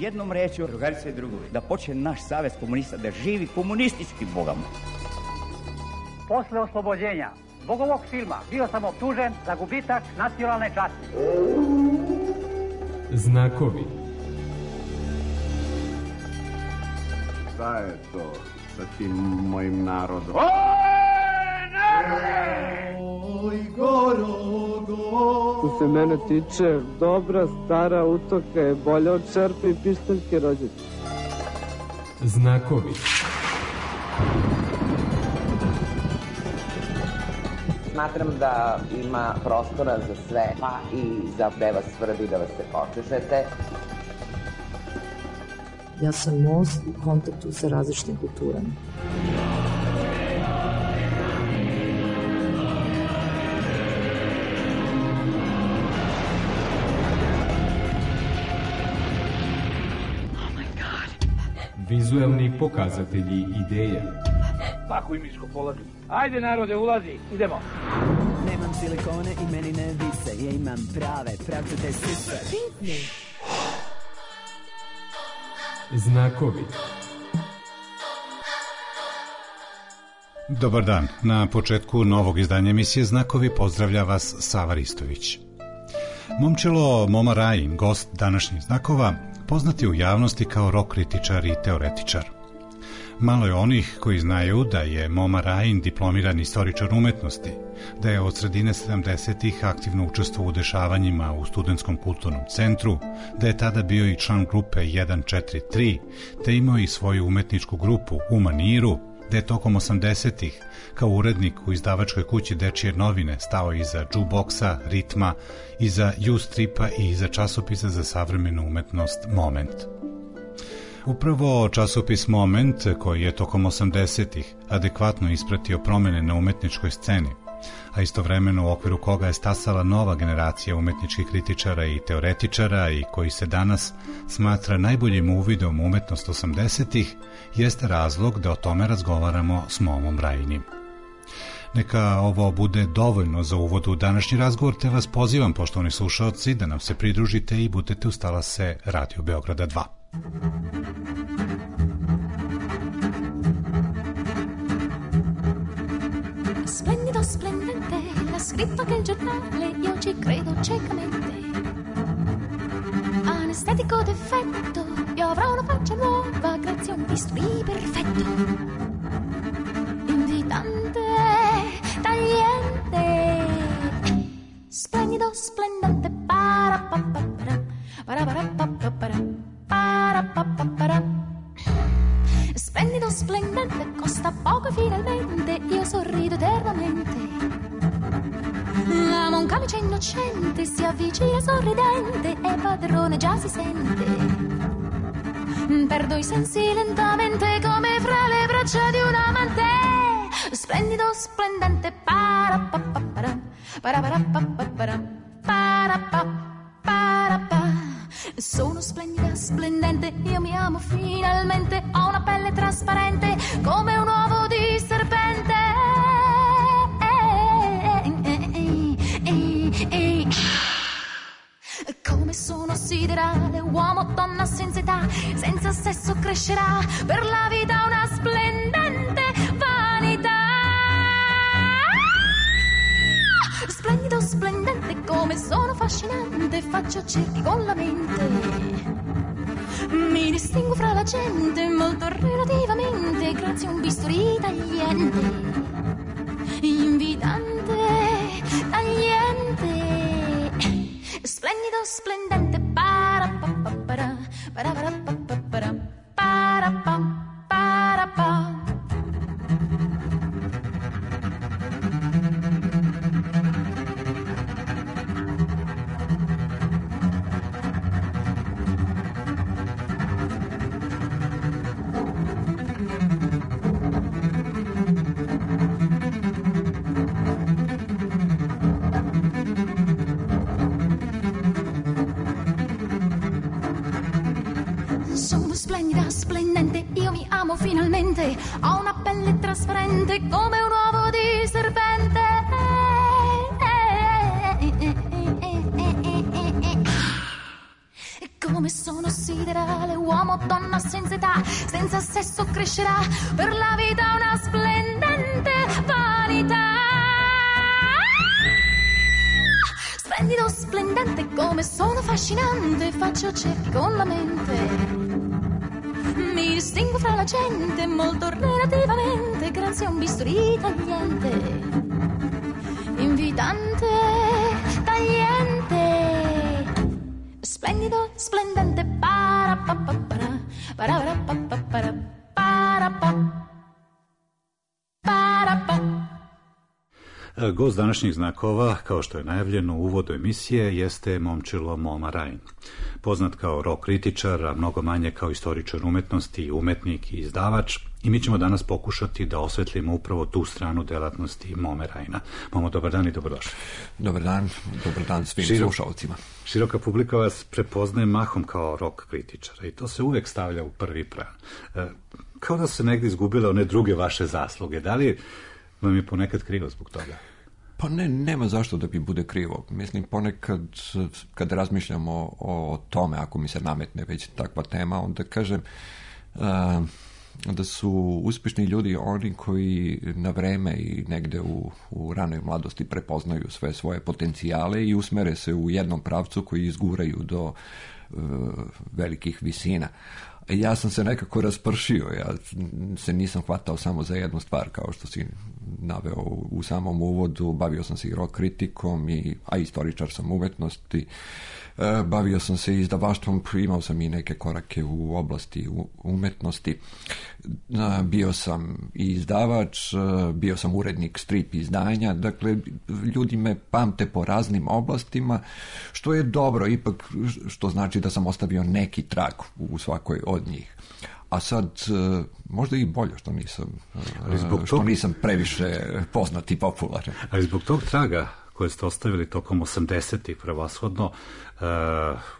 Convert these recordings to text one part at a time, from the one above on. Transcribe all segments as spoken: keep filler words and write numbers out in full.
jednom rečju, drugarice i drugovi, da počne naš savez komunista da živi komunističkim bogama. Posle oslobođenja zbog ovog filma bio sam optužen za gubitak nacionalne časti. Znakovi. Šta je to sa tim mojim narodom? Oj, Gorogo. Što se mene tiče, dobra stara utoka je bolja od čerpe i pištaljke rođete. Znakovi. Smatram da ima prostora za sve, pa i za gde vas svrbi da vas se počešete. Ja sam most u kontaktu sa različitim kulturama. Vizuelni pokazatelji ideja. Pakuj miško, polazi. Ajde narode, ulazi, idemo. Nemam silikone i meni ne vise, ja imam prave, pravcate sise. Znakovi. Dobar dan. Na početku novog izdanja emisije Znakovi pozdravlja vas Sava Ristović. Momčilo Moma Rajin, gost današnjih Znakova, poznat je u javnosti kao rock kritičar i teoretičar. Malo je onih koji znaju da je Moma Rajin diplomirani istoričar umetnosti, da je od sredine sedamdesetih aktivno učestvovao u dešavanjima u Studentskom kulturnom centru, da je tada bio i član grupe jedan četiri tri, te imao i svoju umetničku grupu U maniru, da je tokom osamdesetih kao urednik u izdavačkoj kući Dečije novine stao iza džuboksa, ritma, iza U-stripa i iza časopisa za savremenu umetnost Moment. Upravo časopis Moment, koji je tokom osamdesetih adekvatno ispratio promene na umetničkoj sceni, a istovremeno u okviru koga je stasala nova generacija umetničkih kritičara i teoretičara i koji se danas smatra najboljim uvidom u umetnost osamdesetih, jeste razlog da o tome razgovaramo s Momom Rajinim. Neka ovo bude dovoljno za uvod u današnji razgovor, te vas pozivam, poštovani slušaoci, da nam se pridružite i budete uz talase Radio Beograda dva. Splendido, splendente, l'ha scritto anche il giornale, io ci credo ciecamente. Anestetico d'effetto, io avrò una faccia nuova grazie a un bisturi perfetto. Invitante, tagliente, splendido, splendente, para pa pa para, para para pa pa para, para pa pa para. Splendido, splendente, costa poco e finalmente io sorrido eternamente. Amo un camice innocente, si avvicina sorridente e padrone già si sente. Perdo i sensi lentamente come fra le braccia di un amante. Splendido, splendente, para pa pa para, para para pa pa para, para pa para pa. Sono splendida, splendente, io mi amo finalmente, ho una pelle trasparente come un uovo di serpente. Come sono siderale, uomo, donna senza età, senza sesso crescerà, per la vita una splendente vanità. Splendido, splendente, come sono affascinante, faccio cerchi con la mente. Mi distingo fra la gente, molto relativamente, grazie a un bisturi tagliente. Invitante, tagliente, splendido, splendente, para pa pa para, para para pa pa para, para pa para pa. Splendida, splendente, io mi amo finalmente, ho una pelle trasparente come un uovo di serpente. come sono siderale, uomo, donna senza età, senza sesso crescerà, per la vita una splendente vanità. Splendido, splendente, come sono affascinante, faccio cerchi con la mente. Mi distingo fra la gente, molto relativamente, grazie a un bisturi tagliente, invitante, tagliente. Splendido, splendente, para pa pa para, para para pa pa para, para pa, para pa. Gost današnjih znakova, kao što je najavljeno u uvodu emisije, jeste Momčilo Moma Rajin. Poznat kao rock kritičar, a mnogo manje kao istoričar umetnosti, umetnik i izdavač, i mi ćemo danas pokušati da osvetlimo upravo tu stranu delatnosti Mome Rajina. Momo, dobar dan i dobrodošli. Dobar dan, dobar dan svim Širo, slušalcima. Široka publika vas prepoznaje mahom kao rock kritičara i to se uvek stavlja u prvi plan. E, kao da su se negdje izgubile one druge vaše zasluge. Da li vam je ponekad krivo zbog toga? Pa ne, nema zašto da bi bude krivo. Mislim, ponekad kad razmišljamo o, o tome, ako mi se nametne već takva tema, onda kažem uh, da su uspješni ljudi oni koji na vreme i negde u, u ranoj mladosti prepoznaju sve svoje potencijale i usmere se u jednom pravcu koji izguraju do uh, velikih visina. Ja sam se nekako raspršio, ja se nisam hvatao samo za jednu stvar, kao što si naveo u samom uvodu, bavio sam se i rock kritikom, i, a istoričar sam umetnosti, e, bavio sam se izdavaštvom, imao sam i neke korake u oblasti umetnosti, e, bio sam i izdavač, e, bio sam urednik strip izdanja, dakle, ljudi me pamte po raznim oblastima, što je dobro, ipak, što znači da sam ostavio neki trag u svakoj od njih. A sad, možda i bolje što nisam, što tog... nisam previše poznat i popularan. Ali zbog tog traga koje ste ostavili tokom osamdesetih prevashodno, uh,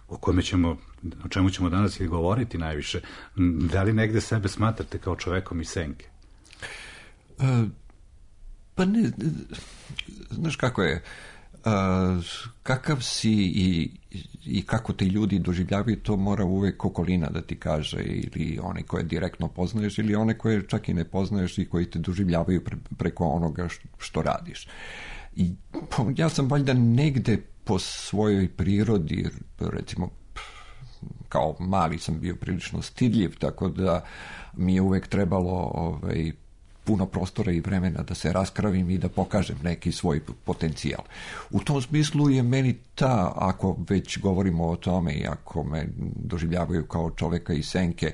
o kome ćemo, o čemu ćemo danas i govoriti najviše, da li negde sebe smatrate kao čovekom iz senke? Uh, pa ne, znaš kako je, Uh, kakav si i, i kako te ljudi doživljavaju, to mora uvek okolina da ti kaže, ili one koje direktno poznaješ ili one koje čak i ne poznaješ i koji te doživljavaju pre, preko onoga što, što radiš. I ja sam valjda negde po svojoj prirodi, recimo kao mali sam bio prilično stidljiv, tako da mi je uvek trebalo ovaj, puno prostora i vremena da se raskravim i da pokažem neki svoj potencijal. U tom smislu je meni ta, ako već govorimo o tome i ako me doživljavaju kao čoveka iz senke,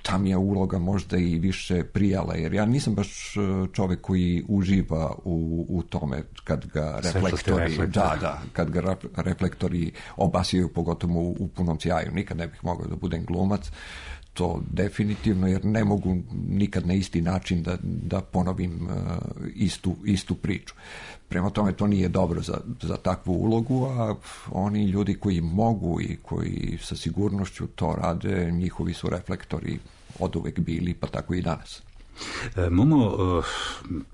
ta mi je uloga možda i više prijala, jer ja nisam baš čovek koji uživa u, u tome kad ga reflektori, da, da, kad ga reflektori obasjaju, pogotovo u, u punom sjaju. Nikad ne bih mogao da budem glumac, to definitivno, jer ne mogu nikad na isti način da, da ponovim uh, istu, istu priču. Prema tome, to nije dobro za, za takvu ulogu, a oni ljudi koji mogu i koji sa sigurnošću to rade, njihovi su reflektori oduvek bili, pa tako i danas. E, Momo,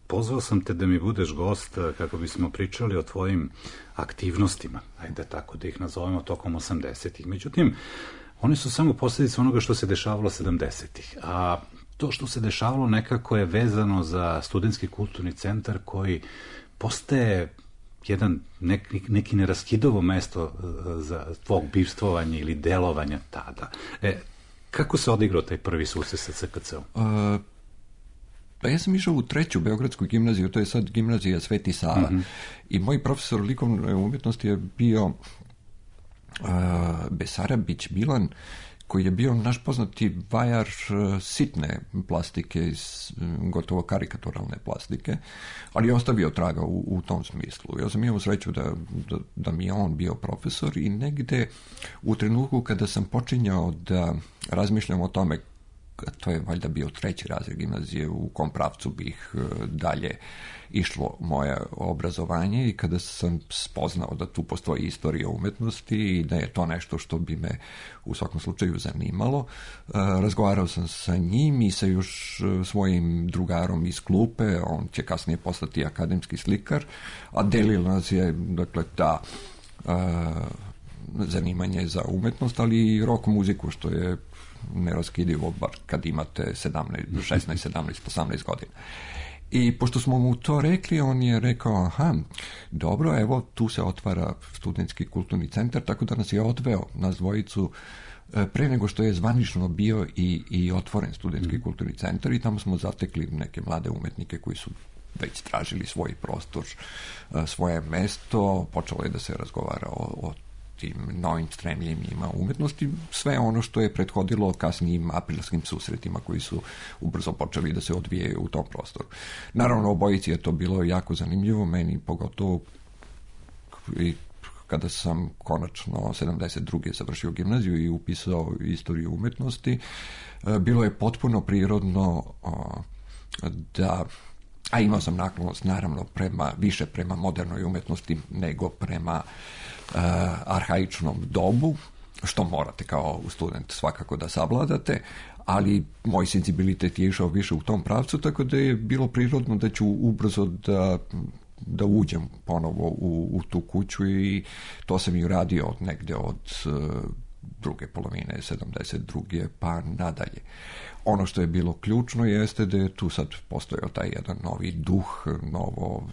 pozvao sam te da mi budeš gost kako bismo pričali o tvojim aktivnostima, ajde tako da ih nazovemo, tokom osamdesetih. Međutim, oni su samo posljedica onoga što se dešavalo sedamdesetih, a to što se dešavalo nekako je vezano za studentski kulturni centar koji postaje jedan neki, neki neraskidovo mesto za tvog bivstvovanja ili delovanja tada. E, kako se odigrao taj prvi susret sa C K C-om? Uh, pa ja sam išao u treću Beogradsku gimnaziju, to je sad gimnazija Sveti Sava, mm-hmm. i moj profesor likovne umjetnosti je bio Uh, Besarabić Milan, koji je bio naš poznati vajar uh, sitne plastike, iz, um, gotovo karikaturalne plastike, ali je ostavio traga u, u tom smislu. Ja sam imao sreću da, da, da mi je on bio profesor i negde u trenutku kada sam počinjao da razmišljam o tome, to je valjda bio treći razred gimnazije, u kom pravcu bih uh, dalje išlo moje obrazovanje, i kada sam spoznao da tu postoji istorija umetnosti i da je to nešto što bi me u svakom slučaju zanimalo, razgovarao sam sa njim i sa još svojim drugarom iz klupe, on će kasnije postati akademski slikar, a delila nas je, dakle, ta zanimanje za umetnost, ali i rock muziku, što je neraskidivo, bar kad imate sedamnaest, šesnaest, sedamnaest, osamnaest godina. I pošto smo mu to rekli, on je rekao, aha, dobro, evo, tu se otvara studentski kulturni centar, tako da nas je odveo, nas dvojicu, pre nego što je zvanično bio i, i otvoren studentski mm. kulturni centar, i tamo smo zatekli neke mlade umetnike koji su već tražili svoj prostor, svoje mesto, počelo je da se razgovara o, o tim novim stremljenjima umetnosti, sve ono što je prethodilo kasnijim aprilskim susretima koji su ubrzo počeli da se odvijaju u tom prostoru. Naravno, obojici je to bilo jako zanimljivo, meni pogotovo i kada sam konačno sedamdeset druge završio gimnaziju i upisao istoriju umetnosti, bilo je potpuno prirodno da, a imao sam naklonost naravno prema, više prema modernoj umetnosti nego prema uh, arhaičnom dobu, što morate kao student svakako da savladate, ali moj senzibilitet je išao više u tom pravcu, tako da je bilo prirodno da ću ubrzo da da uđem ponovo u, u tu kuću, i to sam i uradio od negde od uh, druge polovine sedamdeset druge pa nadalje. Ono što je bilo ključno jeste da je tu sad postojao taj jedan novi duh, novo,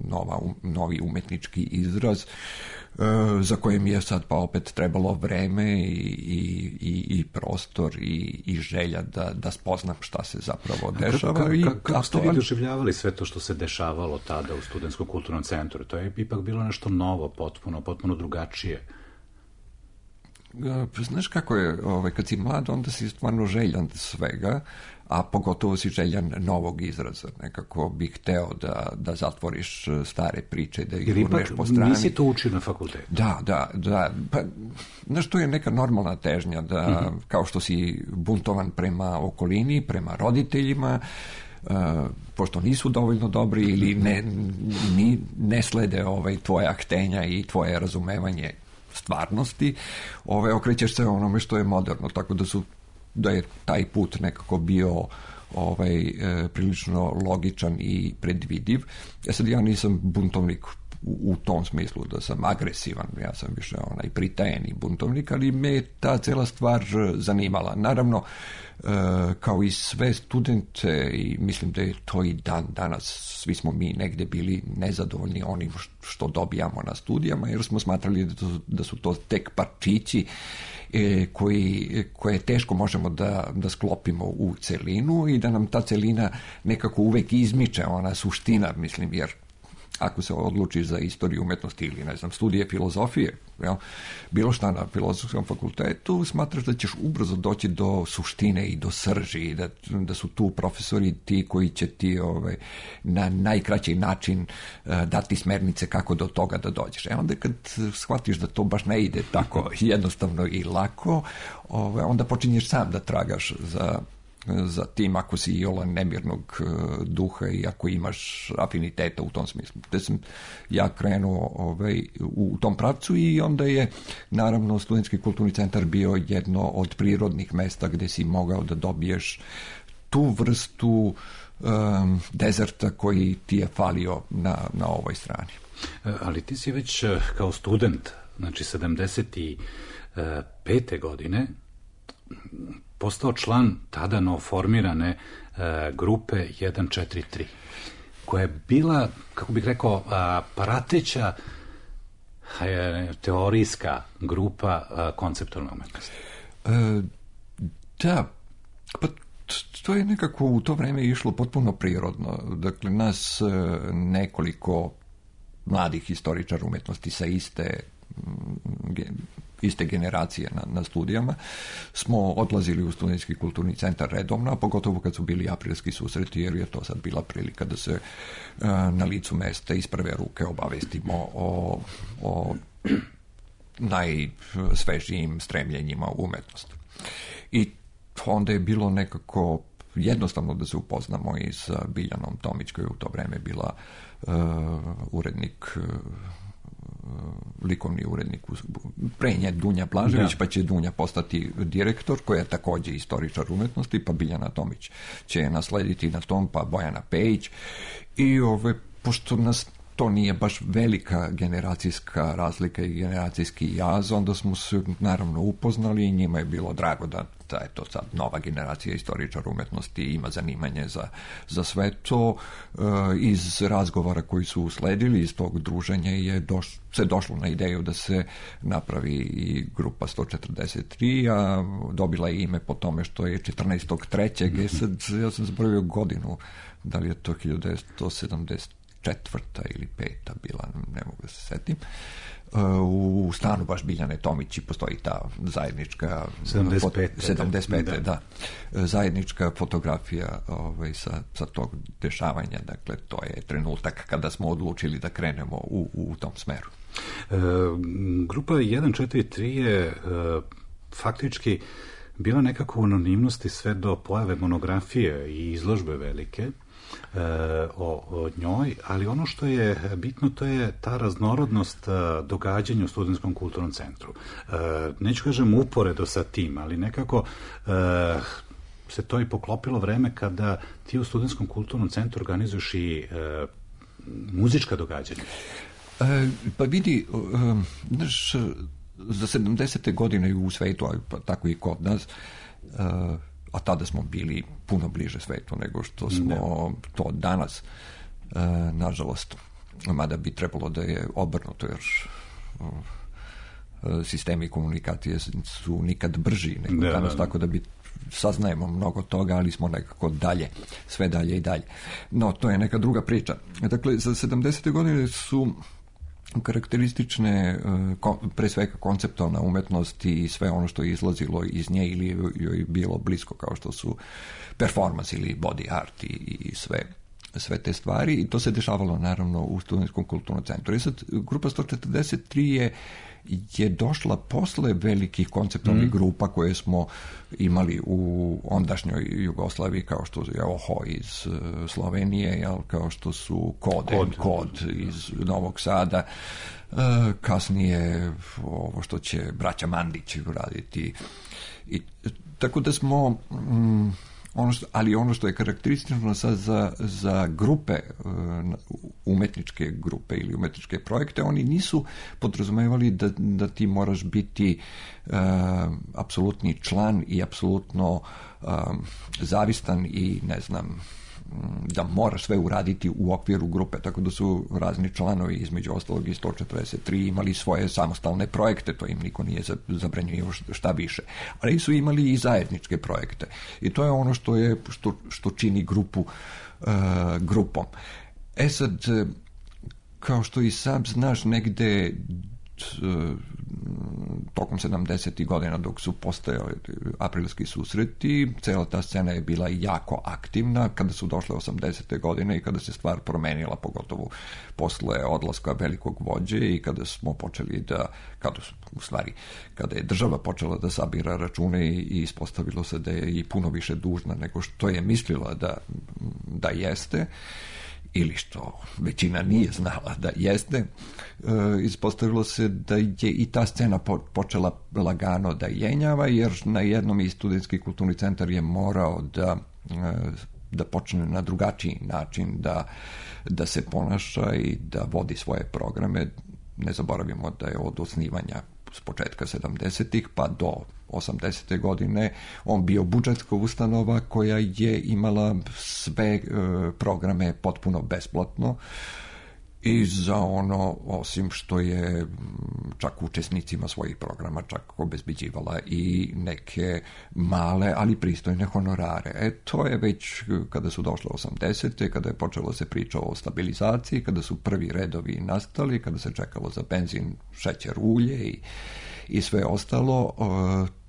nova, novi umetnički izraz, uh, za kojim je sad pa opet trebalo vreme i, i, i prostor i, i želja da, da spoznam šta se zapravo dešava. Kako, i, kako, kako ste to, vi doživljavali sve to što se dešavalo tada u Studentskom kulturnom centru? To je ipak bilo nešto novo, potpuno, potpuno drugačije. Znaš kako je, ovaj, kad si mlad, onda si stvarno željan svega, a pogotovo si željan novog izraza. Nekako bih hteo da, da zatvoriš stare priče, da ih gurneš po strani. Nisi to učio na fakultetu? Da, da, da. Pa, znaš, to je neka normalna težnja, da, mm-hmm. kao što si buntovan prema okolini, prema roditeljima, Uh, pošto nisu dovoljno dobri ili ne, ni, ne slede ovaj, tvoja htenja i tvoje razumevanje stvarnosti, ove, okrećeš se onome što je moderno, tako da su da je taj put nekako bio ovaj, e, prilično logičan i predvidiv. Ja sad ja nisam buntovnik u, u tom smislu da sam agresivan, ja sam više onaj pritajeni buntovnik, ali me je ta cela stvar zanimala. Naravno, e, kao i sve studente, i mislim da je to i dan danas, svi smo mi negde bili nezadovoljni onim što dobijamo na studijama, jer smo smatrali da, to, da su to tek parčići e, koji, koje teško možemo da, da sklopimo u celinu, i da nam ta celina nekako uvek izmiče, ona suština, mislim, jer ako se odlučiš za istoriju umetnosti ili, ne znam, studije filozofije, jel, bilo šta na filozofskom fakultetu, smatraš da ćeš ubrzo doći do suštine i do srži, da, da su tu profesori ti koji će ti ovaj, na najkraći način uh, dati smernice kako do toga da dođeš. E onda kad shvatiš da to baš ne ide tako jednostavno i lako, ovaj, onda počinješ sam da tragaš za za tim, ako si iola nemirnog duha i ako imaš afiniteta u tom smislu. Te sam ja krenuo ovaj, u tom pravcu, i onda je naravno Studentski kulturni centar bio jedno od prirodnih mesta gde si mogao da dobiješ tu vrstu um, dezerta koji ti je falio na, na ovoj strani. Ali ti si već kao student, znači sedamdeset pete godine, postao član tada novoformirane e, grupe jedan četiri tri, koja je bila, kako bih rekao, a, prateća e, teorijska grupa a, konceptualne umetnosti. E, da, pa to je nekako u to vreme išlo potpuno prirodno. Dakle, nas nekoliko mladih historičara umetnosti sa iste iste generacije na, na studijama, smo odlazili u Studentski kulturni centar redovno, a pogotovo kad su bili aprilski susreti, jer je to sad bila prilika da se uh, na licu mesta iz prve ruke obavestimo o, o najsvežijim stremljenjima u umetnosti. I onda je bilo nekako jednostavno da se upoznamo i sa Biljanom Tomić, koja je u to vreme bila uh, urednik uh, likovni urednik, pre nje Dunja Blažević, da. Pa će Dunja postati direktor, koja je takođe istoričar umetnosti, pa Biljana Tomić će naslediti na tom, pa Bojana Pejić. I ove, pošto nas to nije baš velika generacijska razlika i generacijski jaz, onda smo se naravno upoznali i njima je bilo drago da, da je to sad nova generacija istoričara umetnosti ima zanimanje za, za sve to. E, iz razgovora koji su usledili, iz tog druženja je doš, se došlo na ideju da se napravi i grupa sto četrdeset tri, a dobila je ime po tome što je četrnaestog trećeg E sad, ja sam zaboravio godinu, da li je to hiljadu devetsto sedamdeset četvrta ili peta bila, ne mogu da se setim. U stanu baš Biljane Tomići postoji ta zajednička sedamdeset pete sedamdeset pete da. da zajednička fotografija ovaj, sa, sa tog dešavanja, dakle to je trenutak kada smo odlučili da krenemo u, u tom smeru. E, grupa jedan četiri tri je e, faktički bila nekako u anonimnosti sve do pojave monografije i izložbe velike O, o njoj, ali ono što je bitno to je ta raznorodnost događanja u Studentskom kulturnom centru. Neću kažem uporedo sa tim, ali nekako se to i poklopilo vreme kada ti u Studentskom kulturnom centru organizuješ i muzička događanja. E, pa vidi, znaš, za sedamdesete godine u svetu, a tako i kod nas, a tada smo bili puno bliže svetu nego što smo ne. to danas, e, nažalost, mada bi trebalo da je obrnuto, jer e, sistemi komunikacije su nikad brži nego ne, danas, ne, ne. tako da bi saznajemo mnogo toga, ali smo nekako dalje, sve dalje i dalje. No, to je neka druga priča. Dakle, za sedamdesete godine su karakteristične pre svega konceptualna umetnost i sve ono što je izlazilo iz nje ili joj bilo blisko, kao što su performance ili body art i, i sve, sve te stvari, i to se dešavalo naravno u Studentskom kulturnom centru. I sad grupa sto četrdeset tri je je došla posle velikih konceptualnih mm. grupa koje smo imali u ondašnjoj Jugoslaviji, kao što je Oho iz uh, Slovenije, jel, kao što su Kod, Kod. Kod iz Novog Sada, uh, kasnije ovo što će braća Mandić uraditi. I, tako da smo... Mm, Ono što, ali ono što je karakteristično sad za, za grupe, umetničke grupe ili umetničke projekte, oni nisu podrazumevali da, da ti moraš biti uh, apsolutni član i apsolutno uh, zavistan i ne znam, da moraš sve uraditi u okviru grupe, tako da su razni članovi, između ostalog i sto četrdeset tri, imali svoje samostalne projekte, to im niko nije zabranjivao šta više, ali su imali i zajedničke projekte i to je ono što je što, što čini grupu uh, grupom. E sad, kao što i sam znaš, negde tokom sedamdesetih godina dok su postojali aprilski susreti, cela ta scena je bila jako aktivna. Kada su došle osamdesete godine i kada se stvar promenila, pogotovo posle odlaska velikog vođe i kada smo počeli da, kada su, u stvari, kada je država počela da sabira račune i ispostavilo se da je i puno više dužna nego što je mislila da, da jeste, ili što većina nije znala da jeste, e, ispostavilo se da je i ta scena po, počela lagano da jenjava, jer na jednom i Studentski kulturni centar je morao da, e, da počne na drugačiji način da, da se ponaša i da vodi svoje programe. Ne zaboravimo da je od osnivanja s početka sedamdesetih pa do osamdesete godine on bio budžetska ustanova koja je imala sve e, programe potpuno besplatno i za ono, osim što je čak učesnicima svojih programa čak obezbeđivala i neke male, ali pristojne honorare. E, to je već kada su došle osamdesete, kada je počelo se priča o stabilizaciji, kada su prvi redovi nastali, kada se čekalo za benzin, šećer, ulje i, i sve ostalo,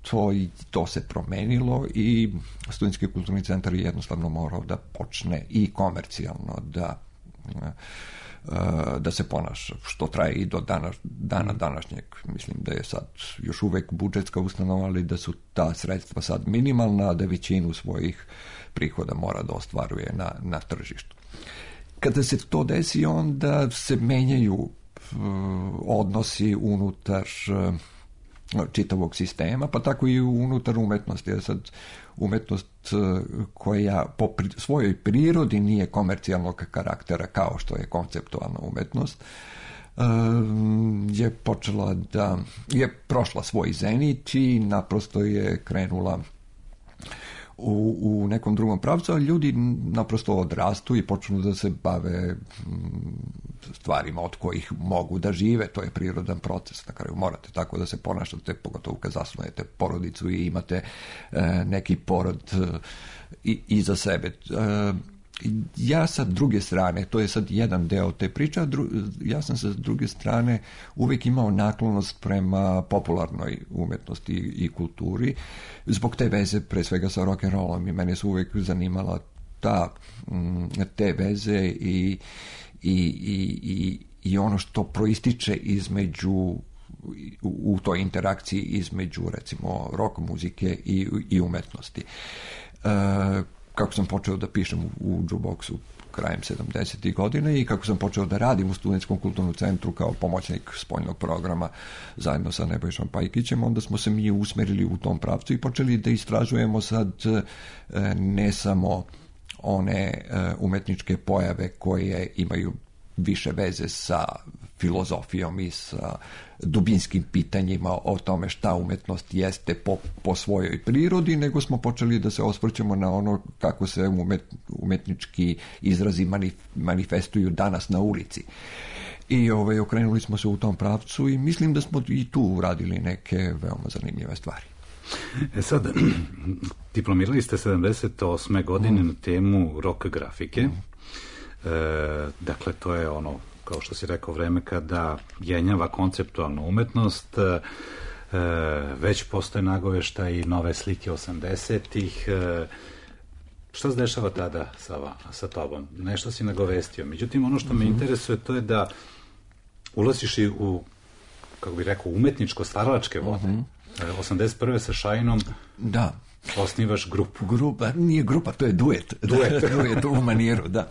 to, to se promenilo i Studentski kulturni centar je jednostavno morao da počne i komercijalno da da se ponaša, što traje i do dana, dana današnjeg. Mislim da je sad još uvek budžetska ustanova, ali da su ta sredstva sad minimalna, da većinu svojih prihoda mora da ostvaruje na, na tržištu. Kada se to desi, onda se menjaju uh, odnosi unutar uh, čitavog sistema, pa tako i unutar umetnosti. Je sad umetnost koja po pri, svojoj prirodi nije komercijalnog karaktera kao što je konceptualna umetnost, je počela da je prošla svoj zenit i naprosto je krenula u, u nekom drugom pravcu, a ljudi naprosto odrastu i počnu da se bave stvarima od kojih mogu da žive. To je prirodan proces. Na kraju morate tako da se ponašate, pogotovo kad zasnujete porodicu i imate e, neki porod e, i, iza sebe. E, ja sa druge strane, to je sad jedan deo te priče, dru, ja sam sa druge strane uvijek imao naklonost prema popularnoj umetnosti i, i kulturi, zbog te veze pre svega sa rock'n'rollom, i mene su uvijek zanimala ta, te veze i, i, i, i, i ono što proističe između u, u toj interakciji između recimo rock muzike i, i umetnosti. E, kako sam počeo da pišem u, u jukeboxu krajem sedamdesetih godina i kako sam počeo da radim u Studentskom kulturnom centru kao pomoćnik spoljnog programa zajedno sa Nebojšom Pajkićem, onda smo se mi usmerili u tom pravcu i počeli da istražujemo sad ne samo one umetničke pojave koje imaju više veze sa filozofijom i sa dubinskim pitanjima o tome šta umetnost jeste po, po svojoj prirodi, nego smo počeli da se osvrćemo na ono kako se umet, umetnički izrazi manif, manifestuju danas na ulici. I ovaj, okrenuli smo se u tom pravcu i mislim da smo i tu uradili neke veoma zanimljive stvari. E sad, diplomirali ste sedamdeset osme godine mm. na temu rock grafike. Mm. E, dakle, to je ono, kao što si rekao, vreme kada jenjava konceptualnu umetnost, e, već postoje nagovešta i nove slike osamdesetih. E, šta se dešava tada sa, sa tobom? Nešto si nagovestio. Međutim, ono što me mm-hmm. interesuje, to je da ulaziš i u, kako bih rekao, umetničko stvaralačke vode. Mm-hmm. E, osamdeset prve sa Šajinom da. Osnivaš grupu. Grupa, nije grupa, to je duet. Duet. Duet u maniru, da.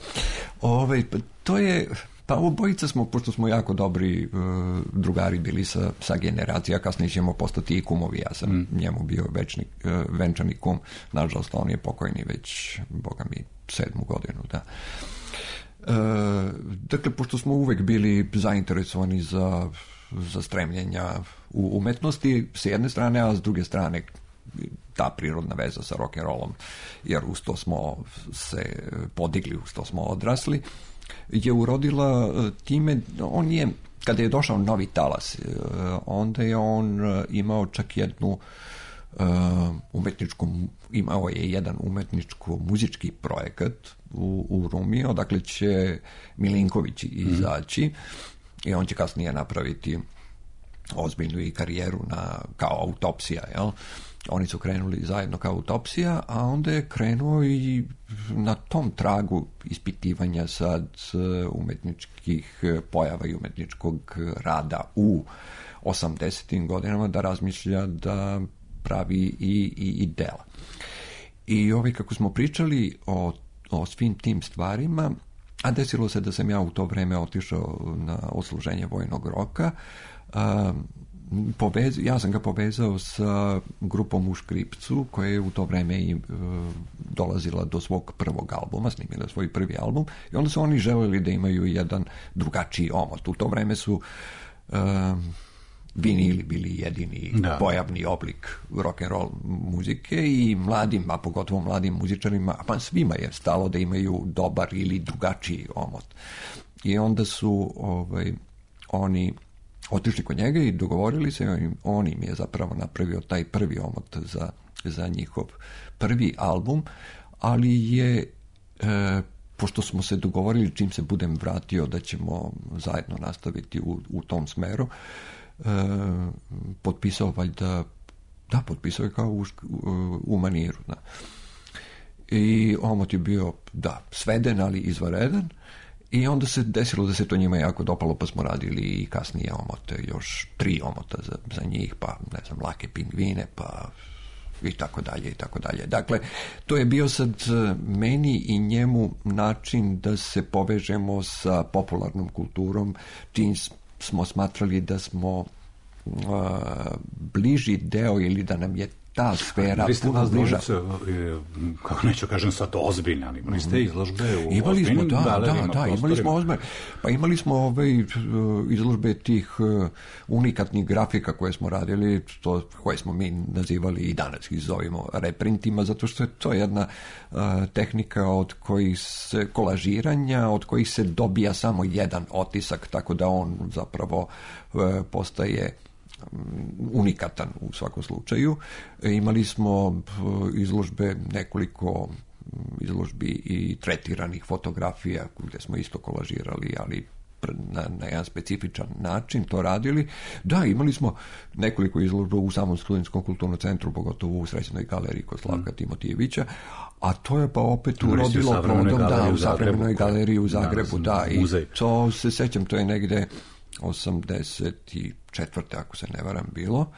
Ove, to je, pa obojica smo, pošto smo jako dobri uh, drugari bili sa, sa generacija, kasnije ćemo postati i kumovi, ja sam mm. njemu bio večni, uh, venčani kum, nažalost on je pokojni već, boga mi, sedmu godinu, da. Uh, dakle, pošto smo uvek bili zainteresovani za, za stremljenja u umetnosti, s jedne strane, a s druge strane ta prirodna veza sa rock'n'rollom, jer uz to smo se podigli, uz to smo odrasli, je urodila time, on je, kada je došao novi talas, onda je on imao čak jednu umetničku, imao je jedan umetničko-muzički projekat u, u Rumi, odakle će Milinković izaći mm. i on će kasnije napraviti ozbiljnu i karijeru na, kao Autopsija, jel? Oni su krenuli zajedno kao Autopsija, a onda je krenuo i na tom tragu ispitivanja sad umetničkih pojava i umetničkog rada u osamdesetim godinama da razmišlja da pravi i, i, i dela. I ovi kako smo pričali o, o svim tim stvarima, a desilo se da sam ja u to vreme otišao na odsluženje vojnog roka, a, Povez, ja sam ga povezao sa grupom u Škripcu koja je u to vreme i, e, dolazila do svog prvog albuma, snimila svoj prvi album i onda su oni želeli da imaju jedan drugačiji omot. U to vreme su e, vinili bili jedini da. pojavni oblik rock'n'roll muzike i mladim, a pogotovo mladim muzičarima, a pa svima je stalo da imaju dobar ili drugačiji omot. I onda su ovaj, oni otišli kod njega i dogovorili se, on im je zapravo napravio taj prvi omot za, za njihov prvi album, ali je, e, pošto smo se dogovorili čim se budem vratio da ćemo zajedno nastaviti u, u tom smeru, e, potpisao valjda, da, potpisao je kao u, u maniru, da. I omot je bio, da, sveden, ali izvanredan. I onda se desilo da se to njima jako dopalo, pa smo radili i kasnije omote, još tri omota za, za njih, pa ne znam, Lake pingvine, pa i tako dalje, i tako dalje. Dakle, to je bio sad meni i njemu način da se povežemo sa popularnom kulturom, čim smo smatrali da smo bliži deo ili da nam je ta sfera puno bliža. Kako neću kažem sad ozbiljne, ali imali ste izložbe u imali smo, da, galerima, da, da, imali smo ozbiljne. Pa imali smo ove izložbe tih unikatnih grafika koje smo radili, to, koje smo mi nazivali i danas ih zovemo reprintima, zato što je to jedna uh, tehnika od kojih se, kolažiranja, od kojih se dobija samo jedan otisak, tako da on zapravo uh, postaje unikatan u svakom slučaju. Imali smo izložbe, nekoliko izložbi i tretiranih fotografija gdje smo isto kolažirali, ali na, na jedan specifičan način to radili. Da, imali smo nekoliko izložba u samom Studentskom kulturnom centru, pogotovo u Srećnoj galeriji kod Slavka mm. Timotijevića, a to je pa opet urodilo plodom, da, u Savremenoj galeriji u Zagrebu, da, i to se sećam, to je negde osamdeset četvrte ako se ne varam bilo,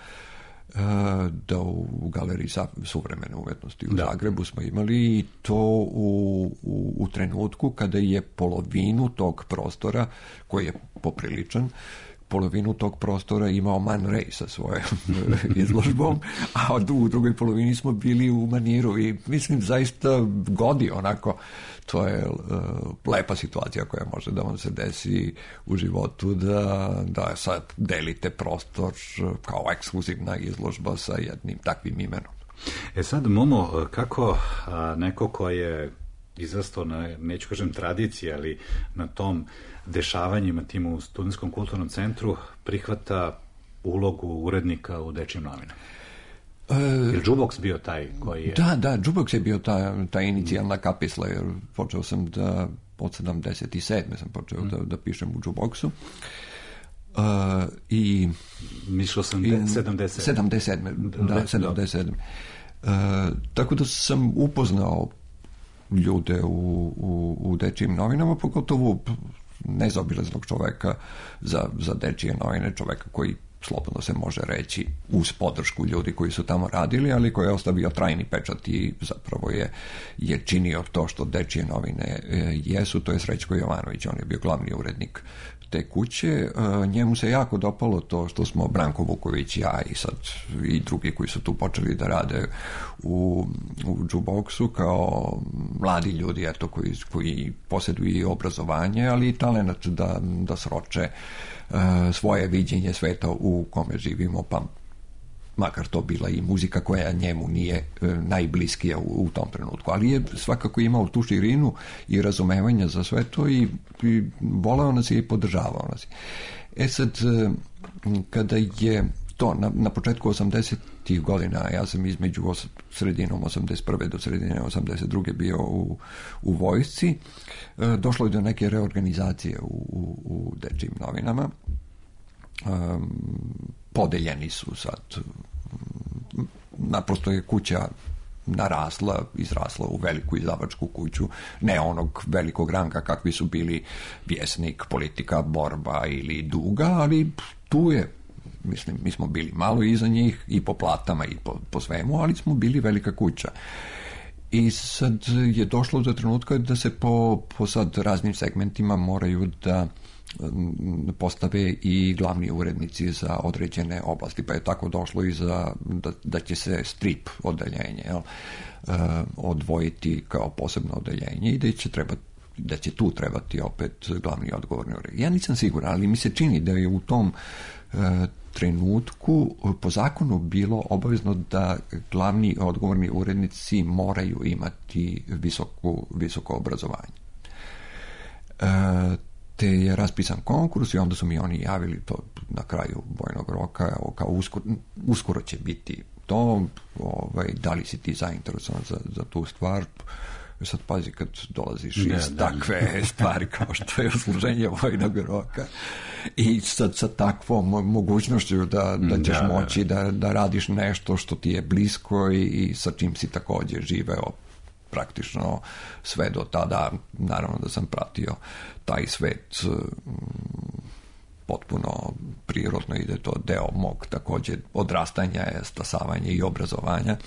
da u galeriji suvremene umetnosti u da. Zagrebu smo imali i to u, u, u trenutku kada je polovinu tog prostora, koji je popriličan, polovinu tog prostora imao Man Ray sa svojom izložbom, a u drugoj polovini smo bili u Maniru i mislim zaista godi onako, to je uh, lepa situacija koja može da vam se desi u životu, da, da sad delite prostor kao ekskluzivna izložba sa jednim takvim imenom. E sad, Momo, kako a, neko ko je izrastao na, neću kažem tradiciji, ali na tom dešavanjima tim u Studentskom kulturnom centru prihvata ulogu urednika u dečijim novinama? Je li Džuboks bio taj koji je... Da, da, Džuboks je bio ta, ta inicijalna kapisla, jer počeo sam da, od sedamdeset sedme sam počeo mm. da, da pišem u Džuboksu. Uh, i... Mislio sam i, sedamdeset sedme. sedamdeset sedme, da, sedamdeset sedme. Uh, tako da sam upoznao ljude u, u, u dečijim novinama, pogotovo nezaobilaznog čoveka za, za dečije novine, čoveka koji slobodno se može reći uz podršku ljudi koji su tamo radili, ali koji je ostavio trajni pečat i zapravo je, je činio to što dečije novine e, jesu, to je Srećko Jovanović, on je bio glavni urednik te kuće. E, njemu se jako dopalo to što smo Branko Vuković, ja i sad i drugi koji su tu počeli da rade u, u Džuboksu kao mladi ljudi, eto, koji, koji posjeduju i obrazovanje, ali i talent da, da sroče svoje viđenje sveta u kome živimo, pa makar to bila i muzika koja njemu nije najbliskija u, u tom trenutku, ali je svakako imao tu širinu i razumevanja za sve to i, i voleo nas je i podržavao nas. E sad, kada je to na, na početku osamdesetih godina, ja sam između os, sredinom osamdeset prve do sredine osamdeset druge bio u, u vojsci, e, došlo je do neke reorganizacije u, u, u dečijim novinama. E, podeljeni su sad, naprosto je kuća narasla, izrasla u veliku izdavačku kuću, ne onog velikog ranga kakvi su bili Vjesnik, Politika, Borba ili Duga, ali tu je, mislim, mi smo bili malo iza njih i po platama i po, po svemu, ali smo bili velika kuća. I sad je došlo do trenutka da se po, po sad raznim segmentima moraju da postave i glavni urednici za određene oblasti, pa je tako došlo i za, da, da će se strip odeljenje jel, uh, odvojiti kao posebno odeljenje i da će trebati da će tu trebati opet glavni odgovorni urednik. Ja nisam siguran, ali mi se čini da je u tom uh, trenutku po zakonu bilo obavezno da glavni odgovorni urednici moraju imati visoku, visoko obrazovanje. Uh, te je raspisan konkurs i onda su mi oni javili to na kraju vojnog roka, kao uskoro, uskoro će biti to, ovaj, da li si ti zainteresovan za, za tu stvar. Sad pazi kad dolaziš ne, iz da, takve da. stvari kao što je služenje vojnog roka i sad sa takvom mogućnošću da, da ćeš da, moći da, da radiš nešto što ti je blisko i, i sa čim si također živeo praktično sve do tada. Naravno da sam pratio taj svet potpuno prirodno i da je to deo mog također odrastanja, stasavanja i obrazovanja,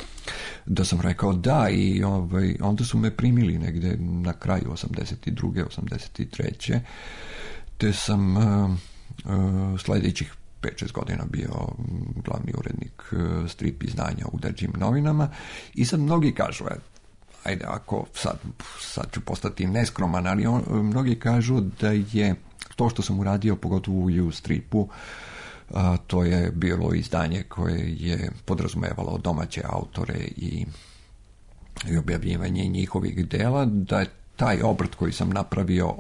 da sam rekao da i ovaj, onda su me primili negde na kraju osamdeset druge osamdeset treće te sam uh, uh, sljedećih pet šest godina bio glavni urednik strip izdanja u Deđim novinama i sad mnogi kažu, ajde, ako sad, sad ću postati neskroman, ali on, mnogi kažu da je to što sam uradio, pogotovo u U-stripu, a, to je bilo izdanje koje je podrazumevalo domaće autore i, i objavljivanje njihovih dela, da je taj obrt koji sam napravio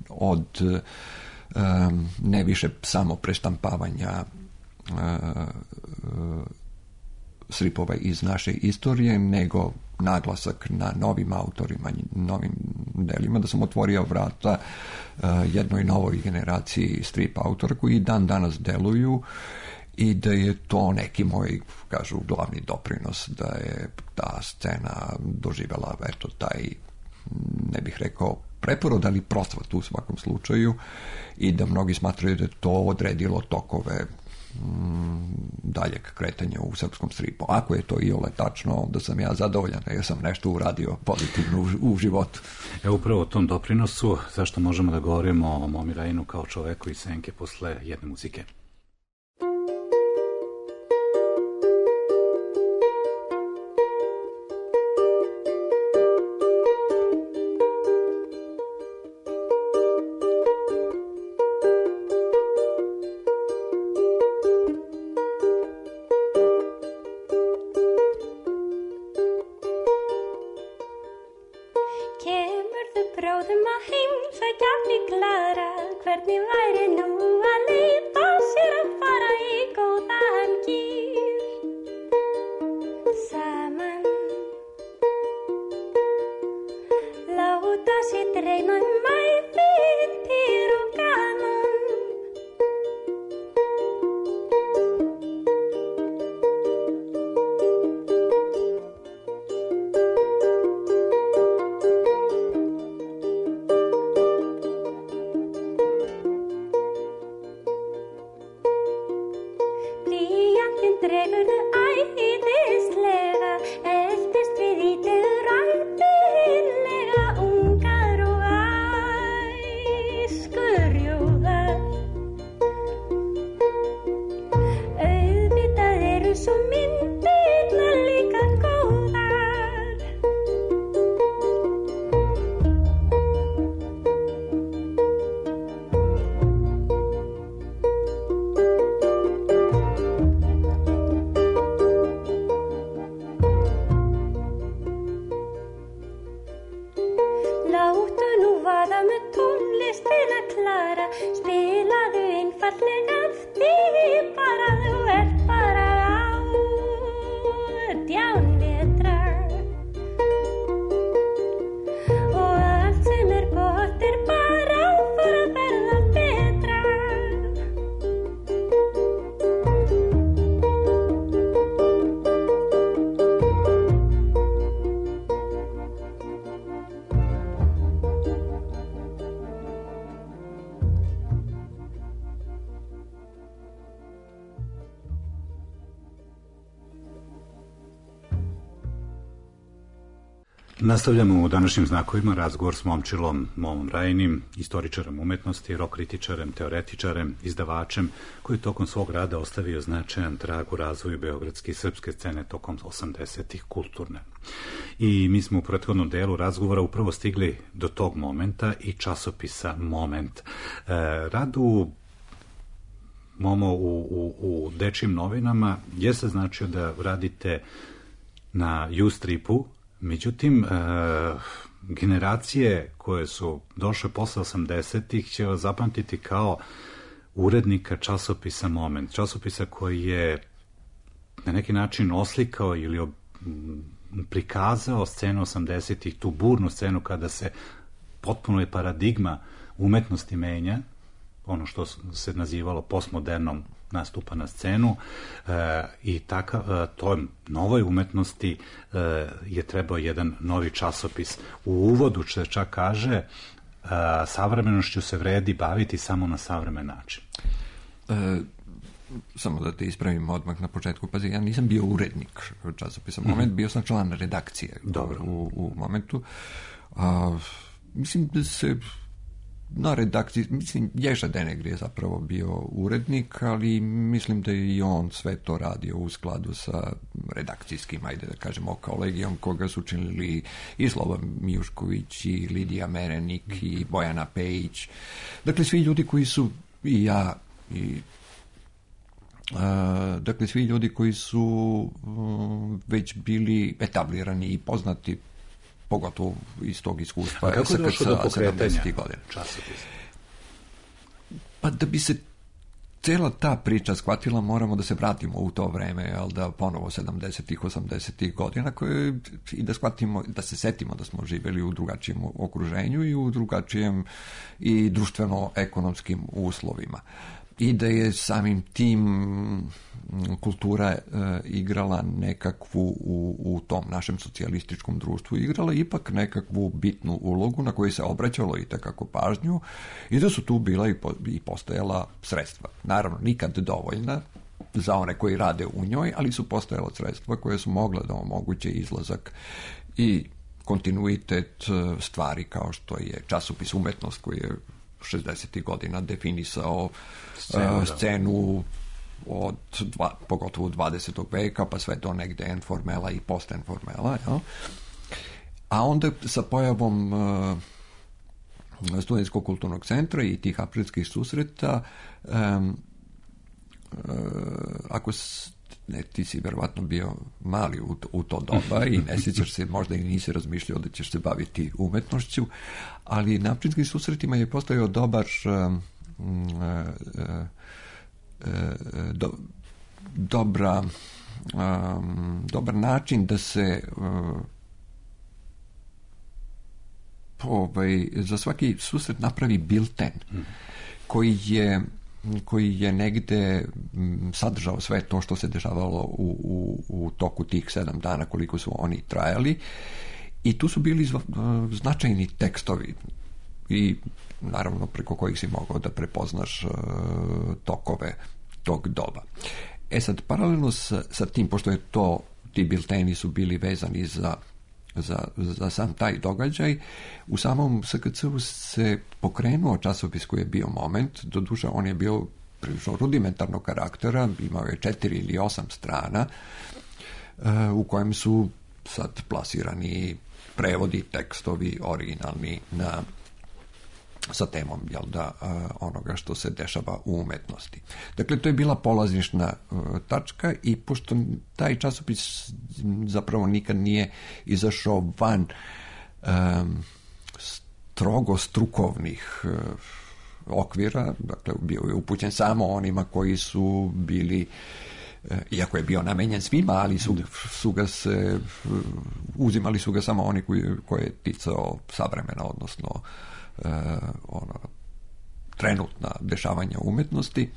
od um, ne više samo preštampavanja uh, uh, stripova iz naše istorije, nego naglasak na novim autorima, novim delima, da sam otvorio vrata uh, jednoj novoj generaciji strip autora koji dan danas deluju i da je to neki moj, kažu, glavni doprinos, da je ta scena doživjela, eto, taj, ne bih rekao preporod, ali procvat u svakom slučaju, i da mnogi smatraju da je to odredilo tokove daljeg kretanja u srpskom stripu. Ako je to iole tačno, onda sam ja zadovoljan jer sam nešto uradio pozitivno u, u životu. E upravo o tom doprinosu, zašto možemo da govorimo o Momi Rajinu kao čoveku iz senke posle jedne muzike. Nastavljamo u današnjim znakovima razgovor s momčilom Momom Rajinim, istoričarem umetnosti, rock kritičarem, teoretičarem, izdavačem, koji tokom svog rada ostavio značajan trag u razvoju beogradske i srpske scene tokom osamdesetih kulturne. I mi smo u prethodnom delu razgovora upravo stigli do tog momenta i časopisa Moment. E, rad u Momo u, u, u dečjim novinama je se značio da radite na U-stripu. Međutim, e, generacije koje su došle posle osamdesetih će vas zapamtiti kao urednika časopisa Moment, časopisa koji je na neki način oslikao ili ob, prikazao scenu osamdesetih, tu burnu scenu kada se potpuno je paradigma umetnosti menja, ono što se nazivalo postmodernom nastupa na scenu e, i takav, e, toj novoj umetnosti e, je trebao jedan novi časopis. U uvodu se čak kaže e, savremenošću se vredi baviti samo na savremen način. E, samo da te ispravim odmah na početku, pazi, ja nisam bio urednik časopisa Moment, bio sam član redakcije. Dobro. U, u Momentu. A, mislim da se na redakciji, mislim, Ješa Denegri je zapravo bio urednik, ali mislim da je i on sve to radio u skladu sa redakcijskim, ajde da kažemo, kolegijom koga su činili i Slobodan Mijušković, i Lidija Merenik, i Bojana Pejić. Dakle, svi ljudi koji su, i ja, i Uh, dakle, svi ljudi koji su uh, već bili etablirani i poznati, pogotovo iz tog iskustva. A kako je došlo do pokretanja časopisa? Pa da bi se cela ta priča shvatila, moramo da se vratimo u to vreme, jel da, ponovo sedamdesetih, osamdesetih godina, koje, i da shvatimo, da se setimo da smo živjeli u drugačijem okruženju i u drugačijem i društveno-ekonomskim uslovima. I da je samim tim kultura e, igrala nekakvu u, u tom našem socijalističkom društvu, igrala ipak nekakvu bitnu ulogu na koju se obraćalo i takako pažnju i da su tu bila i, po, i postojala sredstva. Naravno, nikad dovoljna za one koji rade u njoj, ali su postojala sredstva koje su mogla da omoguće izlazak i kontinuitet stvari kao što je časopis Umetnost koji je šezdesetih godina definisao scenu, uh, scenu od dva, pogotovo dvadesetog veka pa sve do negde enformela i postenformela, ja? A onda sa pojavom uh, Studentskog kulturnog centra i tih aprilskih susreta um, uh, ako s, ne, ti si verovatno bio mali u, u to doba i ne sjećaš se, možda i nisi razmišljao da ćeš se baviti umetnošću, ali na aprilskim susretima je postojao dobar um, uh, uh, uh, do, dobra um, dobar način da se uh, ovaj, za svaki susret napravi bilten koji je koji je negde sadržao sve to što se dešavalo u, u, u toku tih sedam dana koliko su oni trajali i tu su bili značajni tekstovi i naravno preko kojih si mogao da prepoznaš tokove tog doba. E sad, paralelno sa, sa tim, pošto je to, ti bilteni su bili vezani za Za, za sam taj događaj, u samom S K C-u se pokrenuo časopis koji je bio Moment, doduše on je bio prilično rudimentarnog karaktera, imao je četiri ili osam strana, uh, u kojem su sad plasirani prevodi, tekstovi originalni na sa temom, jel da, onoga što se dešava u umetnosti. Dakle, to je bila polazišna tačka i pošto taj časopis zapravo nikad nije izašao van um, strogo strukovnih uh, okvira, dakle, bio je upućen samo onima koji su bili, uh, iako je bio namenjen svima, ali su, su ga se, uh, uzimali su ga samo oni koji, koji je ticao savremena, odnosno Uh, ono, trenutna dešavanja umetnosti.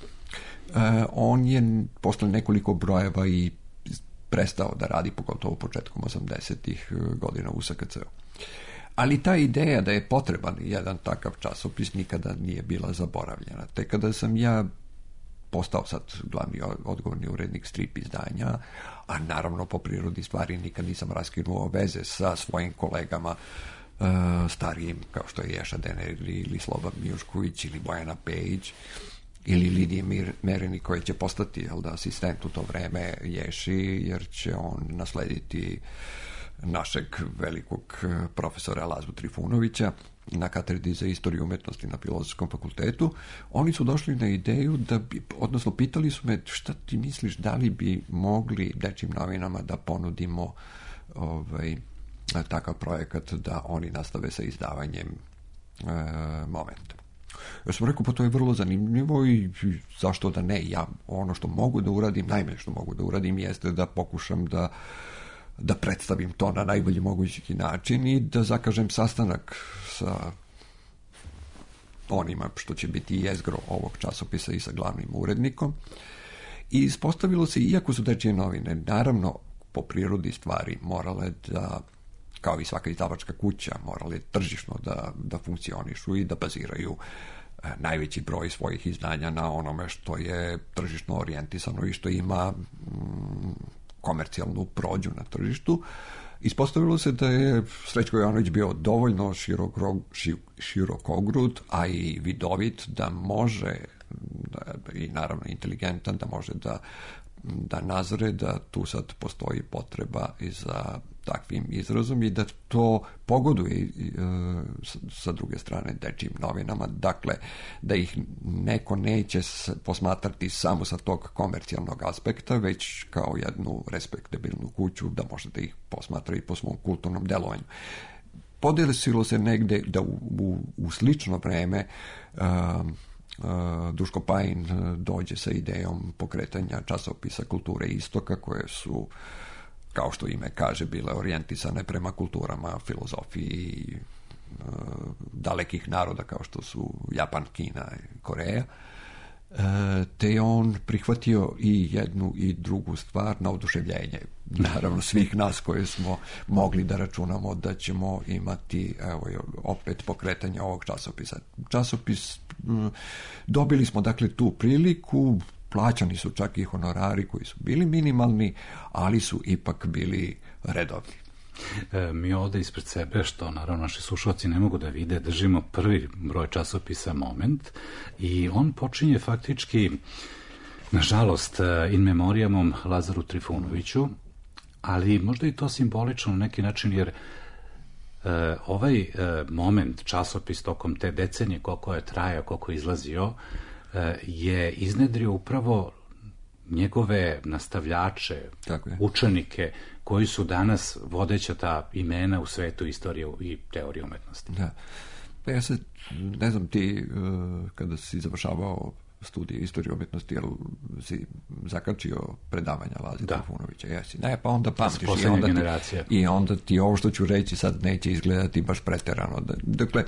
Uh, on je posle nekoliko brojeva i prestao da radi, pogotovo početkom osamdesetih godina u S K C-u. Ali ta ideja da je potreban jedan takav časopis nikada nije bila zaboravljena. Te kada sam ja postao sad glavni odgovorni urednik strip izdanja, a naravno po prirodi stvari nikad nisam raskinuo veze sa svojim kolegama Uh, starijim, kao što je Ješa Denegri ili Slobodan Mijušković ili Bojana Pejić ili Lidija Merenik koji će postati, jel da, asistent u to vreme Ješi, jer će on naslediti našeg velikog profesora Lazu Trifunovića na katedri za istoriju umetnosti na Filozofskom fakultetu. Oni su došli na ideju da bi, odnosno pitali su me šta ti misliš, da li bi mogli dečjim novinama da ponudimo ovaj takav projekat da oni nastave sa izdavanjem e, Momenta. Ja sam rekao, pa to je vrlo zanimljivo i zašto da ne, ja ono što mogu da uradim, najmanje što mogu da uradim jeste da pokušam da da predstavim to na najbolji mogući način i da zakažem sastanak sa onima što će biti jezgro ovog časopisa i sa glavnim urednikom. I ispostavilo se, iako su dečije novine, naravno po prirodi stvari morale da, kao i svaka izdavačka kuća, morale tržišno da, da funkcionišu i da baziraju e, najveći broj svojih izdanja na onome što je tržišno orijentisano i što ima mm, komercijalnu prođu na tržištu. ispostavilo se da je Srećko Jovanović bio dovoljno širokog, širokogrud, a i vidovit da može, da, i naravno inteligentan, da može da, da nazre da tu sad postoji potreba i za takvim izrazom i da to pogoduje e, sa druge strane dečijim novinama, dakle da ih neko neće posmatrati samo sa tog komercijalnog aspekta, već kao jednu respektabilnu kuću, da može da ih posmatra i po svom kulturnom delovanju. Podesilo se negde da u, u, u slično vreme uh, uh, Duško Pajin dođe sa idejom pokretanja časopisa Kulture Istoka, koje su, kao što ime kaže, bile orijentisane prema kulturama, filozofiji uh, dalekih naroda kao što su Japan, Kina i Koreja. E, te je on prihvatio i jednu i drugu stvar na oduševljenje, naravno svih nas koje smo mogli da računamo da ćemo imati, evo, opet pokretanje ovog časopisa. Časopis, m, dobili smo dakle tu priliku, plaćani su čak i honorari koji su bili minimalni, ali su ipak bili redovni. E, mi ovde ispred sebe, što naravno naši slušalci ne mogu da vide, držimo prvi broj časopisa Moment i on počinje faktički, nažalost, in memorijamom Lazaru Trifunoviću, ali možda i to simbolično na neki način, jer e, ovaj e, Moment, časopis tokom te decenije, koliko je trajao, koliko je izlazio, e, je iznedrio upravo njegove nastavljače, učenike, koji su danas vodeća ta imena u svetu istorije i teorije umetnosti. Da. Pa ja se, ne znam, ti kada si završavao studije istorije umetnosti, jel si zakačio predavanja Laze Trifunovića? Jesi. Ne, pa onda pamtiš i onda, ti, i onda ti ovo što ću reći sad neće izgledati baš preterano. Dakle,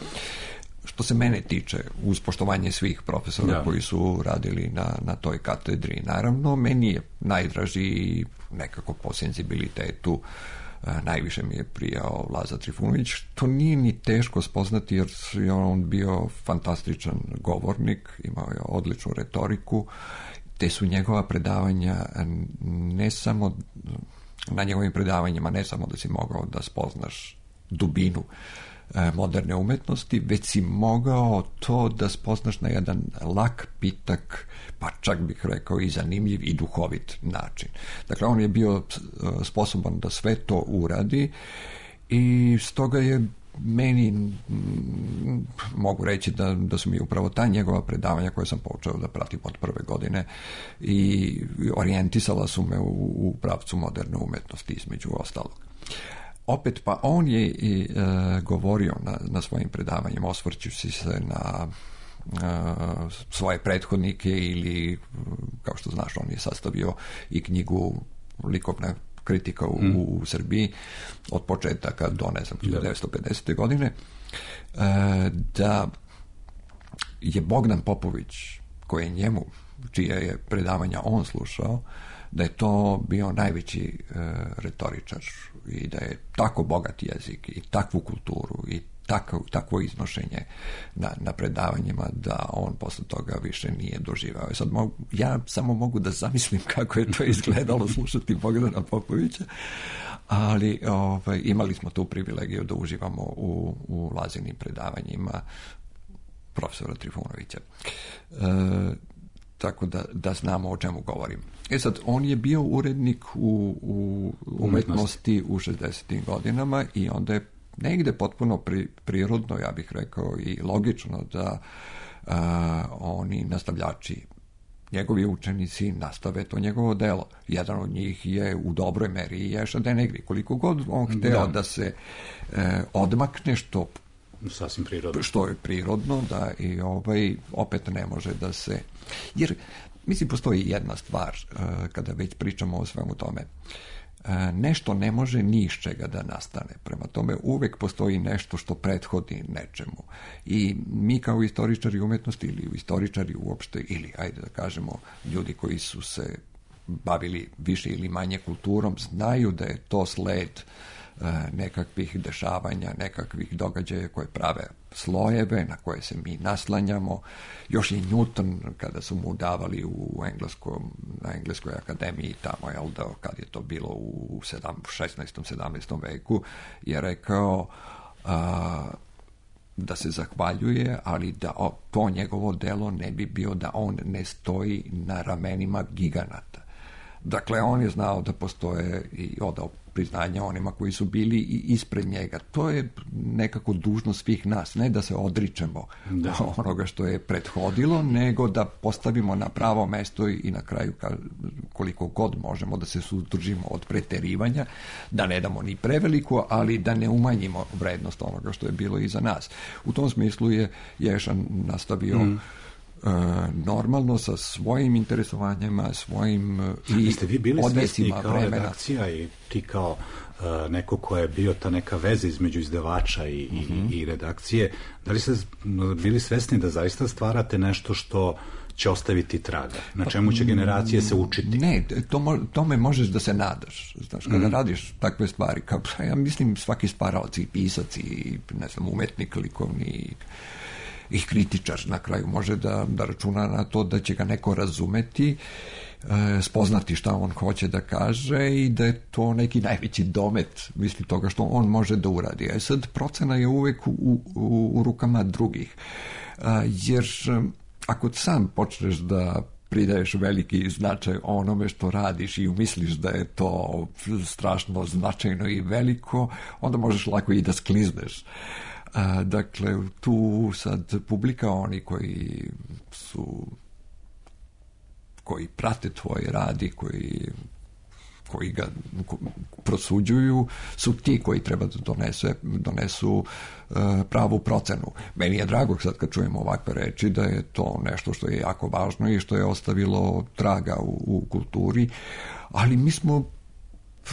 što se mene tiče, uz poštovanje svih profesora da. koji su radili na, na toj katedri, naravno, meni je najdraži i nekako po senzibilitetu najviše mi je prijao Laza Trifunović, što nije ni teško spoznati jer je on bio fantastičan govornik, imao je odličnu retoriku, te su njegova predavanja ne samo, na njegovim predavanjima ne samo da si mogao da spoznaš dubinu moderne umetnosti, već si mogao to da spoznaš na jedan lak, pitak, pa čak bih rekao i zanimljiv i duhovit način. Dakle, on je bio sposoban da sve to uradi i stoga je meni, mogu reći da, da su mi upravo ta njegova predavanja koje sam počeo da pratim od prve godine i orijentisala su me u, u pravcu moderne umetnosti između ostalog. Opet, pa on je i e, govorio na, na svojim predavanjima, osvrćući se na e, svoje prethodnike ili, kao što znaš, on je sastavio i knjigu Likovna kritika u, mm. u Srbiji od početaka do, ne znam, hiljadu devetsto pedesete. godine, e, da je Bogdan Popović, koji je njemu, čije je predavanja on slušao, da je to bio najveći e, retoričar i da je tako bogat jezik i takvu kulturu i tako, takvo iznošenje na, na predavanjima da on posle toga više nije doživao. I sad mogu, ja samo mogu da zamislim kako je to izgledalo slušati Bogdana Popovića, ali ovaj, imali smo tu privilegiju da uživamo u, u Lazinim predavanjima profesora Trifunovića. E, tako da, da znamo o čemu govorim. E sad, on je bio urednik u, u umetnosti u šezdesetim godinama i onda je negde potpuno pri, prirodno, ja bih rekao, i logično da a, oni nastavljači, njegovi učenici nastave to njegovo delo. Jedan od njih je u dobroj meri i Ješa Denegri. Koliko god on hteo da, da se e, odmakne, što sasvim prirodno. Što je prirodno, da i ovaj opet ne može da se... Jer, mislim, postoji jedna stvar, uh, kada već pričamo o svemu tome. Uh, nešto ne može ni iz čega da nastane. Prema tome, uvek postoji nešto što prethodi nečemu. I mi kao istoričari umetnosti ili istoričari uopšte, ili, ajde da kažemo, ljudi koji su se bavili više ili manje kulturom, znaju da je to sled nekakvih dešavanja, nekakvih događaja koje prave slojeve na koje se mi naslanjamo. Još i Newton, kada su mu davali u engleskom, na Engleskoj akademiji tamo, jel da, kad je to bilo u šesnaestom sedamnaestom veku, je rekao a, da se zahvaljuje, ali da o, to njegovo delo ne bi bio da on ne stoji na ramenima giganata. Dakle, on je znao da postoje i odao priznanja onima koji su bili i ispred njega. To je nekako dužnost svih nas, ne da se odričemo da. onoga što je prethodilo, nego da postavimo na pravo mesto i na kraju koliko god možemo da se suzdržimo od preterivanja, da ne damo ni preveliku, ali da ne umanjimo vrednost onoga što je bilo iza nas. U tom smislu je Ješan nastavio mm. normalno sa svojim interesovanjima, svojim i jeste vi bili svesni kao vremena. Redakcija i ti kao uh, neko ko je bio ta neka veza između izdavača i, mm-hmm. i, i redakcije, da li ste bili svesni da zaista stvarate nešto što će ostaviti traga, na čemu će generacije se učiti? Ne, to, tome možeš da se nadaš. Znaš, kada mm. radiš takve stvari, kao, ja mislim svaki stvaralac i pisac i ne znam, umetnik, likovni i kritičar na kraju može da, da računa na to da će ga neko razumeti, e, spoznati šta on hoće da kaže i da je to neki najveći domet, misli toga što on može da uradi. E sad, procena je uvek u, u, u rukama drugih. E, jer ako sam počneš da pridaješ veliki značaj onome što radiš i umisliš da je to strašno značajno i veliko, onda možeš lako i da sklizneš. A, dakle, tu sad publika, oni koji su koji prate tvoj rad i koji, koji ga prosuđuju, su ti koji treba da donese, donesu uh, pravu procenu. Meni je drago sad kad čujemo ovakve reči da je to nešto što je jako važno i što je ostavilo traga u, u kulturi, ali mi smo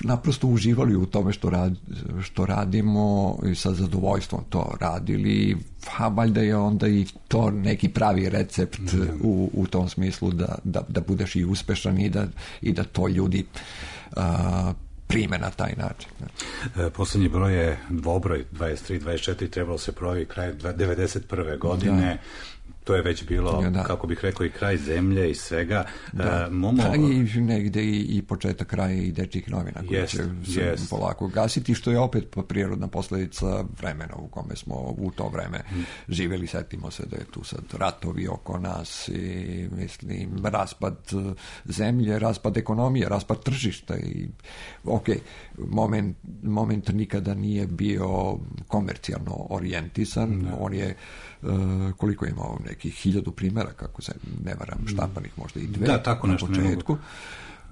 naprosto uživali u tome što, rad, što radimo i sa zadovoljstvom to radili, a valjda je onda i to neki pravi recept mm. u, u tom smislu da, da, da budeš i uspešan i da, i da to ljudi a, prime na taj način. E, poslednji broj je dvobroj dvadeset tri dvadeset četiri, trebalo se provi kraj devedeset prve godine. Da. To je već bilo, da. kako bih rekao, i kraj zemlje i svega. Da. Uh, Momo... Pa i negde i, i početak kraja i dečjih novina koji yes, će se yes. polako gasiti, što je opet prirodna posledica vremena u kome smo u to vreme mm. živjeli. Setimo se da je tu sad ratovi oko nas i mislim raspad zemlje, raspad ekonomije, raspad tržišta i ok, moment, moment nikada nije bio komercijalno orijentisan, da. On je uh, koliko je imao nekih hiljadu primjera, kako se ne varam, štampanih možda i dve da, tako na nešto početku.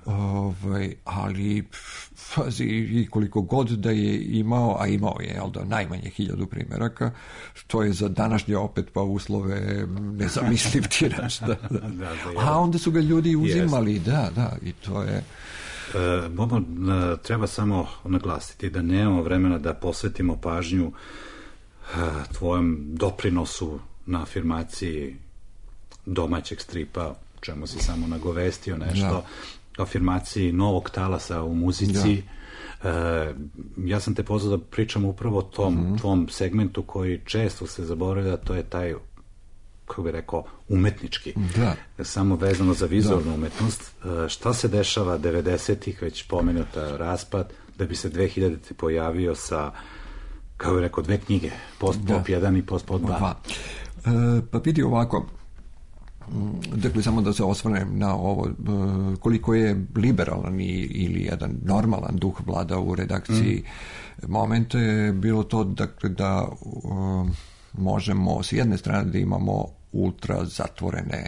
Ovaj, ali fazi, i koliko god da je imao, a imao je jel da, najmanje hiljadu primjeraka, što je za današnje opet pa uslove nezamisliv tiraž. Da, da. Da, da, a onda su ga ljudi uzimali, yes. da, da, i to je... E, Bobo, treba samo naglasiti da nemamo vremena da posvetimo pažnju tvojem doprinosu na afirmaciji domaćeg stripa, čemu si samo nagovestio nešto, da. afirmaciji novog talasa u muzici. Da. E, ja sam te pozvao da pričam upravo o tom mm-hmm. tvom segmentu koji često se zaboravlja, to je taj, kako bih rekao, umetnički. Da. Samo vezano za vizualnu da. umetnost. E, šta se dešava devedesetih, već pomenuta raspad, da bi se dve hiljadite pojavio sa, kao je rekao, dve knjige, Post-pop jedan i Post-pop dva. E, pa vidi ovako, dakle, samo da se osvrnem na ovo, koliko je liberalan ili jedan normalan duh vlada u redakciji. Mm. Momente je bilo to dakle, da um, možemo s jedne strane da imamo ultra zatvorene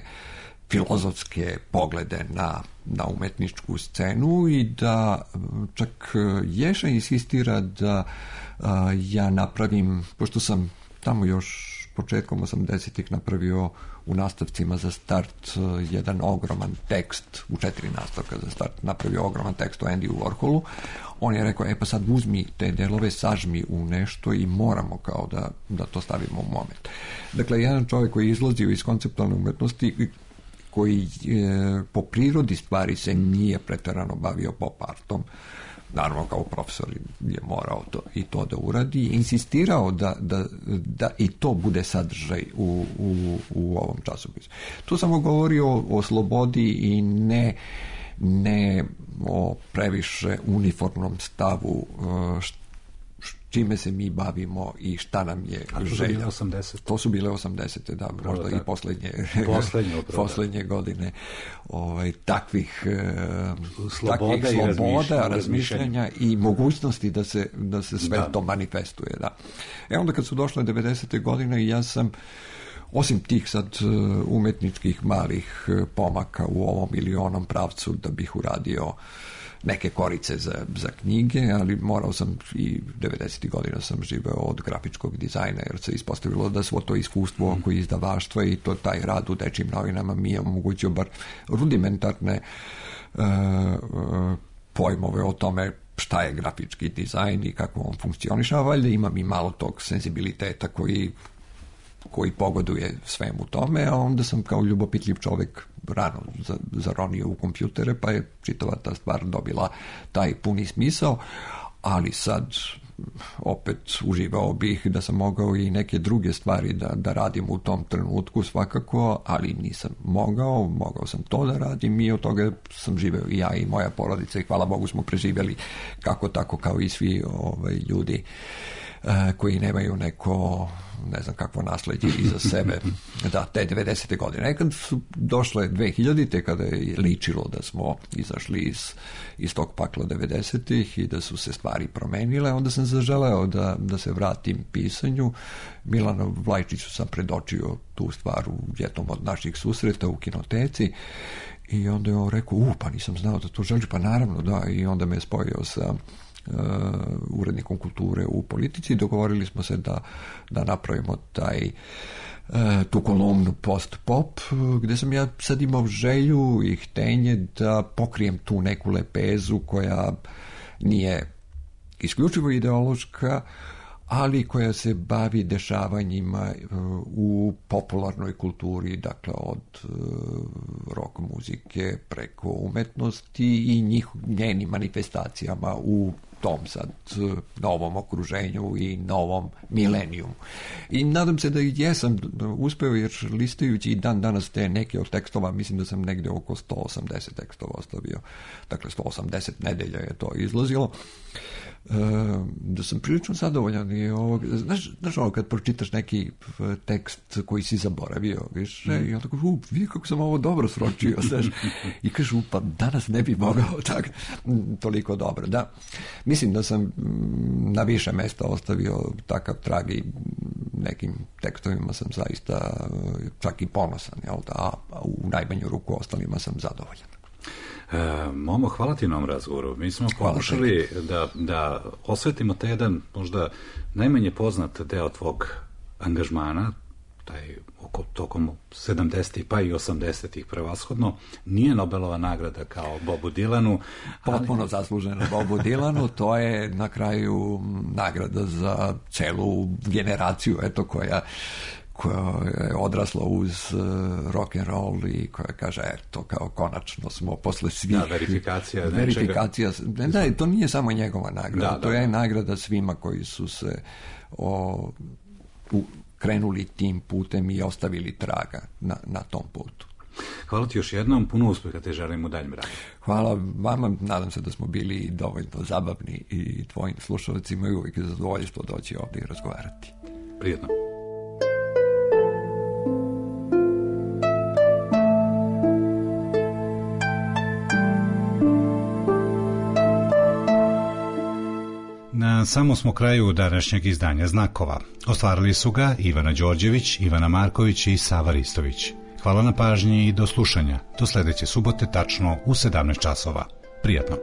filozofske poglede na, na umetničku scenu i da čak Ješa insistira da a, ja napravim, pošto sam tamo još početkom osamdesetih napravio u nastavcima za start jedan ogroman tekst, u četiri nastavka za start napravio ogroman tekst o Andy Warholu. On je rekao, e pa sad uzmi te delove, sažmi u nešto i moramo kao da, da to stavimo u moment. Dakle, jedan čovjek koji je izlazio iz konceptualne umetnosti, koji e, po prirodi stvari se nije preterano bavio pop artom, naravno kao profesor je morao to, i to da uradi, i insistirao da, da, da i to bude sadržaj u, u, u ovom časopisu. Tu samo govori o, o slobodi i ne, ne o previše uniformnom stavu čime se mi bavimo i šta nam je želja. To su bile osamdesete. To su bile osamdesete, da, možda da, da. i poslednje, poslednje, poslednje godine ovaj, takvih sloboda, takvih i sloboda razmišljanja i mogućnosti da se, da se sve da. to manifestuje. Da. E onda kad su došle devedesete godine, ja sam osim tih sad umetničkih malih pomaka u ovom ili onom pravcu da bih uradio neke korice za, za knjige, ali morao sam i devedesetih godina sam živeo od grafičkog dizajna, jer se ispostavilo da svo to iskustvo oko izdavaštva i to taj rad u dečjim novinama mi je omogućio bar rudimentarne uh, uh, pojmove o tome šta je grafički dizajn i kako on funkcioniše, a valjda imam i malo tog senzibiliteta koji koji pogoduje svemu tome, a onda sam kao ljubopitljiv čovek rano zaronio u kompjutere, pa je čitava ta stvar dobila taj puni smisao, ali sad opet uživao bih da sam mogao i neke druge stvari da, da radim u tom trenutku svakako, ali nisam mogao, mogao sam to da radim i od toga sam živeo i ja i moja porodica i hvala Bogu smo preživjeli kako tako kao i svi ovaj, ljudi koji nemaju neko, ne znam kakvo nasleđe iza sebe, da, te devedesete godine. Kad su došle dve hiljadite, kada je ličilo da smo izašli iz, iz tog pakla devedesetih i da su se stvari promenile, onda sam zaželeo da, da se vratim pisanju. Milanu Vlajčiću sam predočio tu stvar u jednom od naših susreta u kinoteci i onda je on rekao, u, pa nisam znao da to želiš, pa naravno, da, i onda me je spojio sa Uh, urednikom kulture u Politici. Dogovorili smo se da, da napravimo taj uh, tu kolumnu post-pop, gde sam ja sad imao želju i htenje da pokrijem tu neku lepezu koja nije isključivo ideološka, ali koja se bavi dešavanjima u popularnoj kulturi, dakle od rock muzike preko umetnosti i njih, njenim manifestacijama u tom sad novom okruženju i novom milenijumu. I nadam se da i jesam uspeo, jer listajući i dan danas te neke od tekstova, mislim da sam negde oko sto osamdeset tekstova ostavio, dakle sto osamdeset nedelja je to izlazilo, da sam prilično zadovoljan i ovog, znaš, znaš ovo kad pročitaš neki tekst koji si zaboravio, viš, mm. i onda tako, u, vidi kako sam ovo dobro sročio, znaš, i kažu, pa danas ne bi mogao tako, toliko dobro, da. Mislim da sam na više mesta ostavio takav trag i nekim tekstovima sam zaista čak i ponosan, jel da, a u najmanju ruku ostalima sam zadovoljan. E, Momo, hvala ti na ovom razgovoru. Mi smo pokušali da, da osvetimo taj jedan možda najmanje poznat deo tvog angažmana, taj oko, tokom sedamdesetih pa i osamdesetih prevashodno. Nije Nobelova nagrada kao Bobu Dylanu. Potpuno ali... zasluženo Bobu Dylanu, to je na kraju nagrada za celu generaciju, eto, koja koja je odrasla uz uh, rock and roll i koja kaže, eto, kao konačno smo posle svih... Da, verifikacija. Verifikacija. Ne, da, to nije samo njegova nagrada, da, to da, je da. nagrada svima koji su se o, u, krenuli tim putem i ostavili traga na, na tom putu. Hvala ti još jednom, puno uspeha te želim u daljem radu. Hvala vama, nadam se da smo bili dovoljno zabavni i tvojim slušalcima i uvijek je zadovoljstvo doći ovdje i razgovarati. Prijetno. Na samom smo kraju današnjeg izdanja Znakova. Ostvarili su ga Ivana Đorđević, Ivana Marković i Sava Ristović. Hvala na pažnji i do slušanja. Do sledeće subote tačno u sedamnaest časova. Prijatno.